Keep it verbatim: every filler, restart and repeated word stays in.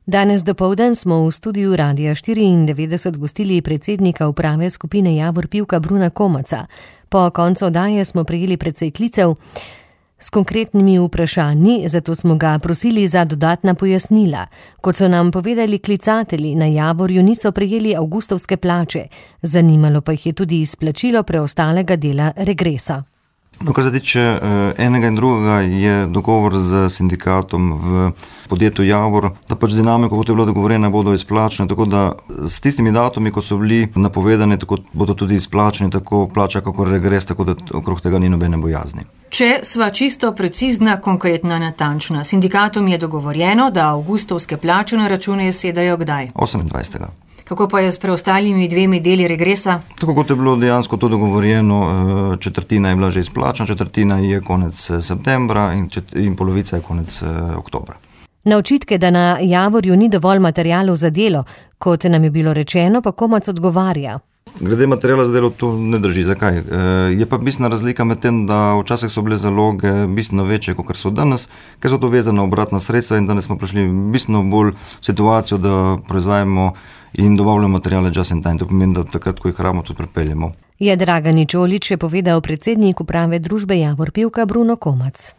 Danes dopoldan smo v studiu Radia štiriindevetdeset gostili predsednika uprave skupine Javor Pivka Bruna Komaca. Po koncu oddaje smo prejeli precej klicev s konkretnimi vprašanji, zato smo ga prosili za dodatna pojasnila. Kot so nam povedali klicatelji, na Javorju niso prejeli avgustovske plače, zanimalo pa jih je tudi izplačilo preostalega dela regresa. No, kar se tiče enega in drugega, je dogovor z sindikatom v podjetju Javor, da pač dinamiko, kot je bilo dogovorjeno, bodo izplačene, tako da s tistimi datumi, kot so bili napovedani, tako bodo tudi izplačeni, tako plača, kako regres, tako da okrog tega ni nobene bojazni. Če sva čisto precizna, konkretna, natančna, sindikatom je dogovorjeno, da avgustovske plače na račune sedajo kdaj? osemindvajsetega Kako pa je s preostalimi dvemi deli regresa? Tako kot je bilo dejansko to dogovorjeno, četrtina je bila že izplačena, četrtina je konec septembra in, čet, in polovica je konec oktobra. Na očitke, da na Javorju ni dovolj materialov za delo, kot nam je bilo rečeno, pa Komac odgovarja. Glede materijala za delo to ne drži. Zakaj? Je pa bistvena razlika med tem, da včasih so bile zaloge bistveno večje, kot so danes, ker so to vezane obratna sredstva in danes smo prišli bistveno bolj v situacijo, da proizvajamo in dobavljamo materijale just in time. To pomeni, da takrat, ko jih rabimo, tudi pripeljemo. Je Dragani Čolić je povedal predsednik uprave družbe Javor Pivka Bruno Komac.